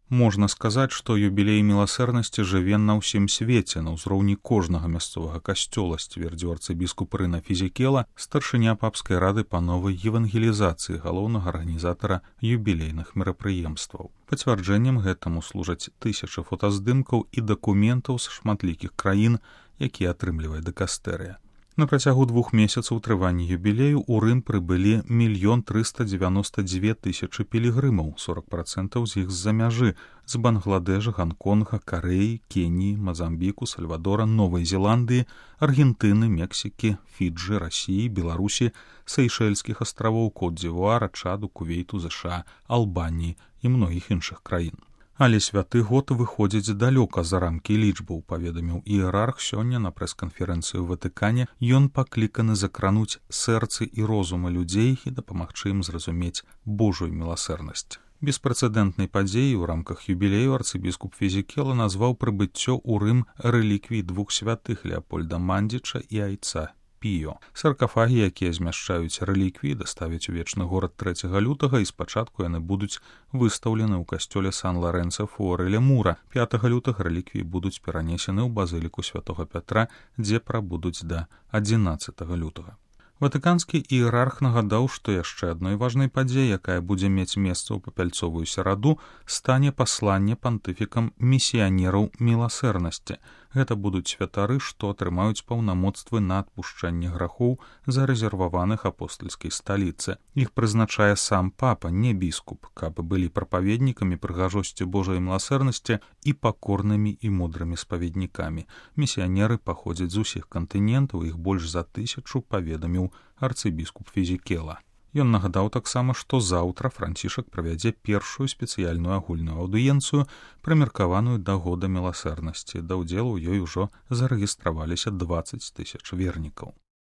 Можна сказаць, што юбілей міласэрнасці жыве на ўсім свеце, на ўзроўні кожнага мясцовага касцёла, сцвердзіў арцыбіскуп Рына Фізікела, старшыня папскай рады па новай евангелізацыі, галоўнага арганізатара юбілейных мерапрыемстваў. Пацвярджэннем гэтаму служаць тысячы фотаздымкаў і дакументаў з шматлікіх краін, якія атрымлівае дыкастэрыя. На працягу 2 месяцаў трывання юбілею ў Рым прыбылі 1 392 000 пілігрымаў, 40% з іх з-за мяжы, з Бангладэша, Ганконга, Карэі, Кеніі, Мазамбіку, Сальвадора, Новай Зеландыі, Аргентыны, Мексікі, Фіджы, Расіі, Беларусі, Сейшэльскіх астравоў, Кот-дзівуара, Чаду, Кувейту, ЗША, Албаніі і многіх іншых краін. Але святы год выходзіць далёка за рамкі лічбаў, паведаміў іерарх сёння на прэс-канферэнцыі ў Ватыкане. Ён пакліканы закрануць сэрцы і розумы людзей і дапамагчы ім зразумець Божую міласэрнасць. Беспрэцэдэнтнай падзеяй у рамках юбілею арцыбіскуп Фізікела назваў прыбыццё ў Рым рэліквій 2 святых Леапольда Мандзіча і айца Піо. Саркафагі, якія змяшчаюць рэліквіі, даставяць у вечны горад 3 лютага, і спачатку яны будуць выстаўлены ў касцёле Сан-Ларэнца Фуореля Мура. 5 лютага рэліквіі будуць перанесены ў базыліку святога Пятра, дзе прабудуць да 11 лютага. Ватыканскі іерарх нагадаў, што яшчэ адной важнай падзеяй, якая будзе мець месца ў папяльцовую сераду, стане пасланне пантыфікам місіянераў міласэрнасці. Гэта будуць святары, што атрымаюць паўнамоцтвы на адпушчэнне грахоў, зарэзерваваных апостальскай сталіцы. Іх прызначае сам папа, не біскуп, каб былі прапаведнікамі прыгажосці Божай міласэрнасці і пакорнымі і мудрымі спаведнікамі. Місіянеры паходзяць з усіх кантынентаў, іх больш за 1000, паведаміў арцыбіскуп Фізікела. Ён нагадаў таксама, што заўтра Францішак правядзе першую спецыяльную агульную аўдыенцыю, прымеркаваную да года міласэрнасці. Да ўдзелу ў ёй ужо зарэгістраваліся 20 000 вернікаў.